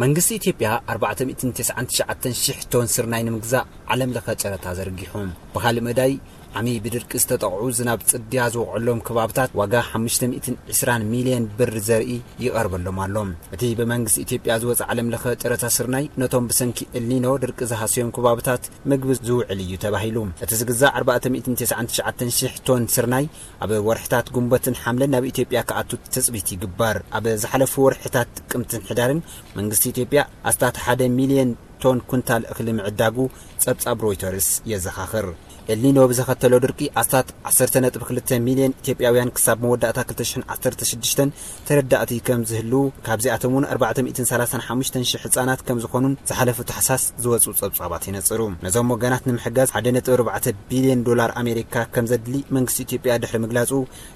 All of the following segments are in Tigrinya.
መንግስቲ ኢትዮጵያ ኣርባዕተ ሚእትን ተስዓን ትሽዓተን ሽሕ ቶን ስርናይ ንምግዛእ ዓለም ለኸ ጨረታ ዘርጊሑ። ብኻልእ መዳይ፣ ዓሚ ብድርቂ ዝተጠቕዑ ዝናብ ጽድያ ዝወቕዐሎም ከባብታት ዋጋ ሓሙሽተ ሚእትን ዕስራን ሚልዮን ብር ዘርኢ ይቐርበሎም ኣሎ። እቲ ብመንግስቲ ኢትዮጵያ ዝወጽእ ዓለም ለኸ ጨረታ ስርናይ ነቶም ብሰንኪ ኤልኒኖ ድርቂ ዝሃሰዮም ከባብታት ምግቢ ዝውዕል እዩ ተባሂሉ። እቲ ዝግዛእ ኣርባዕተ ሚእትን ተስዓን ትሽዓተን ሽሕ ቶን ስርናይ ኣብ ወርሕታት ጉንበትን ሓምለን ናብ ኢትዮጵያ ክኣቱ ትጽቢት ይግበር። ኣብ ዝሓለፉ ወርሕታት ጥቅምትን ሕዳርን መንግስቲ ኢትዮጵያ ኣስታት ሓደ ሚልዮን ቶን ኩንታል እኽሊ ምዕዳጉ ጸብጻብ ሮይተርስ የዘኻኽር። ኤልኒኖ ብዘኸተሎ ድርቂ ኣስታት ዓሰርተ ነጥቢ ክልተ ሚልዮን ኢትዮጵያውያን ክሳብ መወዳእታ ክልተ ሽሕን ዓሰርተ ሽዱሽተን ተረዳእቲ ከም ዝህልዉ፣ ካብዚኣቶም እውን ኣርባዕተ ሚእትን ሰላሳን ሓሙሽተን ሽሕ ህጻናት ከም ዝኾኑን ዝሓለፉ ታሕሳስ ዝወጹ ጸብጻባት ይነጽሩ። ነዞም ወገናት ንምሕጋዝ ሓደ ነጥቢ ኣርባዕተ ቢልዮን ዶላር ኣሜሪካ ከም ዘድሊ መንግስቲ ኢትዮጵያ ድሕሪ ምግላጹ፣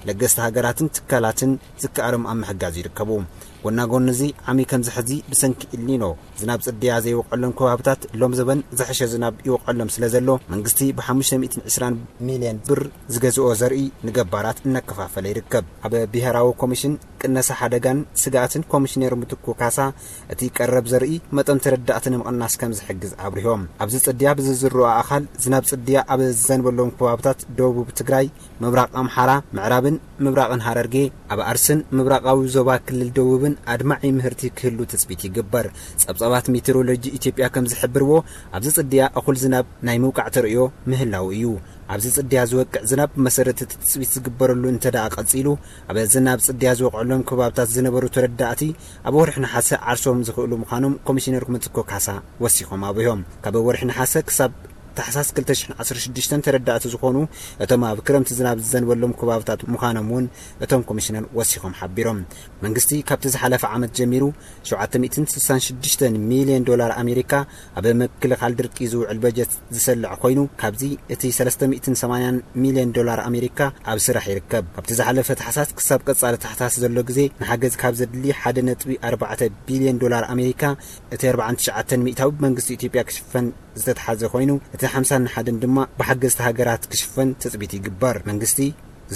ለገስቲ ሃገራትን ትካላትን ዝከኣሎም ኣብ ምሕጋዝ ይርከቡ። ጎና ጎኒ እዚ፣ ዓሚ ከምዚ ሕዚ ብሰንኪ ኢልኒኖ ዝናብ ጽድያ ዘይወቀሎም ከባብታት ሎም ዘበን ዝሐሸ ዝናብ ይወቀሎም ስለ ዘሎ፣ መንግስቲ ብ ሓሙሽተ ሚእትን ዕስራን ሚልዮን ብር ዝገዝኦ ዘርኢ ንገባራት እናከፋፈለ ይርከብ። ኣብ ብሄራዊ ኮሚሽን ቅነሳ ሓደጋን ስግኣትን ኮሚሽነር ምትኩ ካሳ፣ እቲ ቀረብ ዘርኢ መጠን ተረዳእቲ ንምቕናስ ከም ዝሕግዝ ኣብሪሆም። ኣብዚ ጽድያ ብዝዝርኦ ኣኻል ዝናብ ጽድያ ኣብ ዝዘንበሎም ከባብታት ደቡብ ትግራይ፣ ምብራቕ ኣምሓራ፣ ምዕራብን ምብራቕን ሃረርጌ፣ ኣብ ኣርስን ምብራቓዊ ዞባ ክልል ደቡብን ኣድማዒ ምህርቲ ክህሉ ትጽቢት ይግበር። ጸብጻባት ሜቴሮሎጂ ኢትዮጵያ ከም ዝሕብርዎ፣ ኣብዚ ጽድያ እኹል ዝናብ ናይ ምውቃዕ ተርእዮ ምህላው እዩ። ኣብዚ ጽድያ ዝወቅዕ ዝናብ ብመሰረት እቲ ትጽቢት ዝግበረሉ እንተ ደኣ ቀጺሉ፣ ኣብ ዝናብ ጽድያ ዝወቅዐሎም ከባብታት ዝነበሩ ተረዳእቲ ኣብ ወርሒ ነሓሰ ዓርሶም ዝኽእሉ ምዃኖም ኮሚሽነር ምትኮ ካሳ ወሲኾም ኣብሪሆም። ካብ ወርሒ ነሓሰ ክሳብ ታሕሳስ ክልተ ሽሕን ዓሰርተ ሽዱሽተን ተረዳእቲ ዝኾኑ እቶም ኣብ ክረምቲ ዝናብ ዝዘንበሎም ከባብታት ምዃኖም እውን እቶም ኮሚሽነር ወሲኾም ሓቢሮም። መንግስቲ ካብቲ ዝሓለፈ ዓመት ጀሚሩ ሸውዓተ ሚእትን ስሳን ሽዱሽተን ሚልዮን ዶላር ኣሜሪካ ኣብ ምክልኻል ድርቂ ዝውዕል በጀት ዝሰልዕ ኮይኑ፣ ካብዚ እቲ ሰለስተ ሚእትን ሰማንያን ሚልዮን ዶላር ኣሜሪካ ኣብ ስራሕ ይርከብ። ካብቲ ዝሓለፈ ታሕሳስ ክሳብ ቀጻሊ ታሕሳስ ዘሎ ግዜ ንሓገዝ ካብ ዘድሊ ሓደ ነጥቢ ኣርባዕተ ቢልዮን ዶላር ኣሜሪካ፣ እቲ ኣርባዓን ትሽዓተን ሚእታዊ ብመንግስቲ ኢትዮጵያ ክሽፈን ዝተትሓዘ ኮይኑ፣ እቲ ሓምሳን ሓደን ድማ ብሓገዝቲ ሃገራት ክሽፈን ትጽቢት ይግበር። መንግስቲ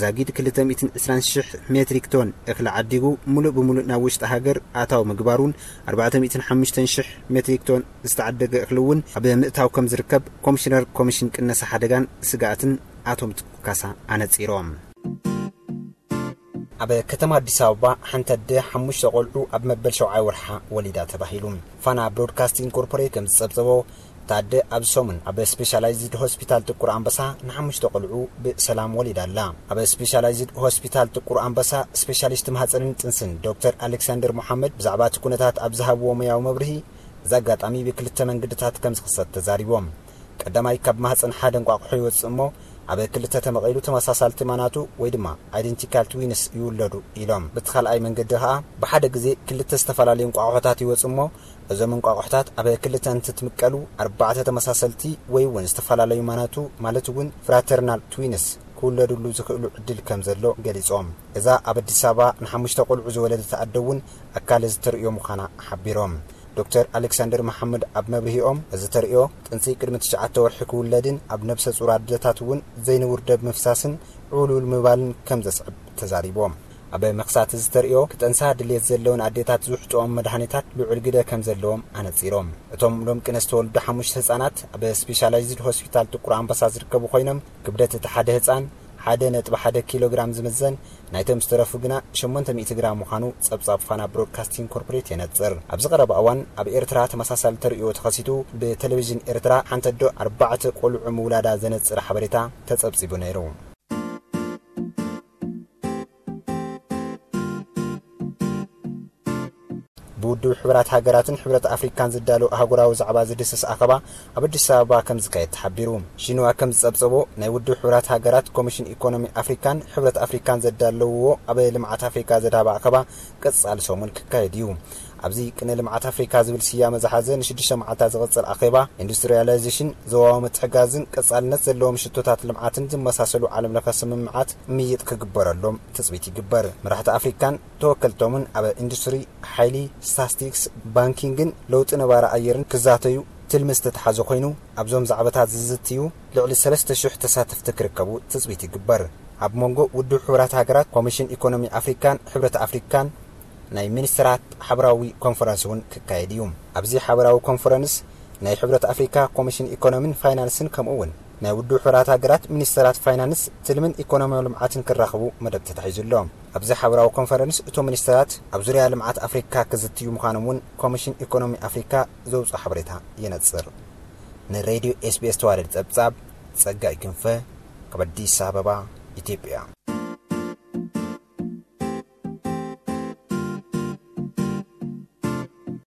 ዛጊድ ክልተ ሚእትን ዕስራን ሽሕ ሜትሪክ ቶን እኽሊ ዓዲጉ፣ ሙሉእ ብሙሉእ ናብ ውሽጢ ሃገር ኣታዊ ምግባሩን ኣርባዕተ ሚእትን ሓሙሽተን ሽሕ ሜትሪክ ቶን ዝተዓደገ እኽሊ እውን ኣብ ምእታው ከም ዝርከብ ኮሚሽነር ኮሚሽን ቅነሳ ሓደጋን ስግኣትን ኣቶ ምትኩ ካሳ ኣነጺሮም። ኣብ ከተማ ኣዲስ ኣበባ ሓንቲ ኣደ ሓሙሽተ ቆልዑ ኣብ መበል ሸውዓይ ወርሓ ወሊዳ ተባሂሉ። ፋና ብሮድካስቲንግ ኮርፖሬት ከም ዝጸብጸቦ፣ እታ ኣደ ኣብዚ ሰሙን ኣብ ስፔሻላይዝድ ሆስፒታል ጥቁር ኣንበሳ ንሓሙሽተ ቆልዑ ብሰላም ወሊዳ ኣላ። ኣብ ስፔሻላይዝድ ሆስፒታል ጥቁር ኣንበሳ ስፔሻሊስት ማህጸንን ጥንስን ዶክተር ኣሌክሳንደር መሓመድ ብዛዕባ እቲ ኩነታት ኣብ ዝሃብዎ ሞያዊ መብርሂ፣ እዚ ኣጋጣሚ ብክልተ መንገድታት ከም ዝኽሰት ተዛሪቦም። ቀዳማይ፣ ካብ ማህጸን ሓደ እንቋቑሖ ይወጽእ እሞ፣ ኣብ ክልተ ተመቒሉ ተመሳሳልቲ ማናቱ ወይ ድማ ኣይደንቲካል ትዊንስ ይውለዱ ኢሎም። በቲ ካልኣይ መንገዲ ኸኣ፣ ብሓደ ግዜ ክልተ ዝተፈላለዩ እንቋቑሖታት ይወጽእ እሞ፣ እዞም እንቋቑሖታት ኣብ ክልተ እንትትምቀሉ፣ ኣርባዕተ ተመሳሰልቲ ወይ እውን ዝተፈላለዩ ማናቱ፣ ማለት እውን ፍራተርናል ትዊንስ ክውለዱሉ ዝኽእሉ ዕድል ከም ዘሎ ገሊጾም። እዛ ኣብ ኣዲስ ኣበባ ንሓሙሽተ ቆልዑ ዝወለደት ኣደ እውን ኣካል እዚ ተርእዮ ምዃና ሓቢሮም። ዶክተር ኣሌክሳንደር መሓመድ ኣብ መብርሂኦም፣ እዚ ተርእዮ ጥንሲ ቅድሚ ትሽዓተ ወርሒ ክውለድን ኣብ ነብሰ ጹር ኣደታት እውን ዘይንቡር ደም ምፍሳስን ዕውልውል ምባልን ከም ዘስዕብ ተዛሪቦም። ኣብ መኽሳት እዚ ተርእዮ፣ ክጠንሳ ድልየት ዘለወን ኣዴታት ዝውሕጥኦም መድሃኒታት ልዑል ግደ ከም ዘለዎም ኣነጺሮም። እቶም ሎም ቅነ ዝተወልዱ ሓሙሽተ ህጻናት ኣብ ስፔሻላይዝድ ሆስፒታል ጥቁር ኣንበሳ ዝርከቡ ኮይኖም፣ ክብደት እቲ ሓደ ህጻን ሓደ ነጥቢ ሓደ ኪሎ ግራም ዝምዘን፣ ናይቶም ዝተረፉ ግና ሸሞንተ ሚእቲ ግራም ምዃኑ ጸብጻብ ፋና ብሮድካስቲንግ ኮርፖሬት የነጽር። ኣብዚ ቀረባ እዋን ኣብ ኤርትራ ተመሳሳሊ ተርእዮ ተኸሲቱ፣ ብቴሌቪዥን ኤርትራ ሓንቲ ኣዶ ኣርባዕተ ቆልዑ ምውላዳ ዘነጽር ሓበሬታ ተጸብጺቡ ነይሩ። ብውድብ ሕቡራት ሃገራትን ሕብረት ኣፍሪካን ዝዳሎ ኣህጉራዊ ዛዕባ ዝድስስ ኣኸባ ኣብ ኣዲስ ኣበባ ከም ዝካየድ ተሓቢሩ። ሺንዋ ከም ዝጸብጸቦ፣ ናይ ውድብ ሕቡራት ሃገራት ኮሚሽን ኢኮኖሚ ኣፍሪካን ሕብረት ኣፍሪካን ዘዳለውዎ ኣብ ልምዓት ኣፍሪካ ዘድሃበ ኣኸባ ቀጻሊ ሰሙን ክካየድ እዩ። ኣብዚ ቅነ ልምዓት ኣፍሪካ ዝብል ስያመ ዝሓዘ ንሽዱሽተ መዓልታት ዝቕጽል ኣኼባ፣ ኢንዱስትሪያላይዜሽን፣ ዞባዊ ምትሕጋዝን ቀጻልነት ዘለዎም ሽቶታት ልምዓትን ዝመሳሰሉ ዓለም ለኸ ስምምዓት ምይጥ ክግበረሎም ትጽቢት ይግበር። መራሕቲ ኣፍሪካን ተወከልቶምን ኣብ ኢንዱስትሪ፣ ሓይሊ፣ ስታስቲክስ፣ ባንኪንግን ለውጢ ነባሪ ኣየርን ክዛተዩ ትልሚ ዝተተሓዘ ኮይኑ፣ ኣብዞም ዛዕባታት ዝዝትዩ ልዕሊ ሰለስተ ሽሕ ተሳተፍቲ ክርከቡ ትጽቢት ይግበር። ኣብ መንጎ ውድብ ሕቡራት ሃገራት፣ ኮሚሽን ኢኮኖሚ ኣፍሪካን ሕብረት ኣፍሪካን ናይ ሚኒስትራት ሓበራዊ ኮንፈረንስ እውን ክካየድ እዩ። ኣብዚ ሓበራዊ ኮንፈረንስ ናይ ሕብረት ኣፍሪካ ኮሚሽን ኢኮኖሚን ፋይናንስን ከምኡ እውን ናይ ውድብ ሕቡራት ሃገራት ሚኒስትራት ፋይናንስ ትልምን ኢኮኖሚያዊ ልምዓትን ክራኸቡ መደብ ተታሒዙ ኣሎ። ኣብዚ ሓበራዊ ኮንፈረንስ እቶም ሚኒስትራት ኣብ ዙርያ ልምዓት ኣፍሪካ ክዝትዩ ምዃኖም እውን ኮሚሽን ኢኮኖሚ ኣፍሪካ ዘውፅኦ ሓበሬታ የነፅር። ንሬድዮ ኤስቢኤስ ተዋደድ ፀብፃብ ጸጋይ ክንፈ ካብ ኣዲስ ኣበባ ኢትዮጵያ።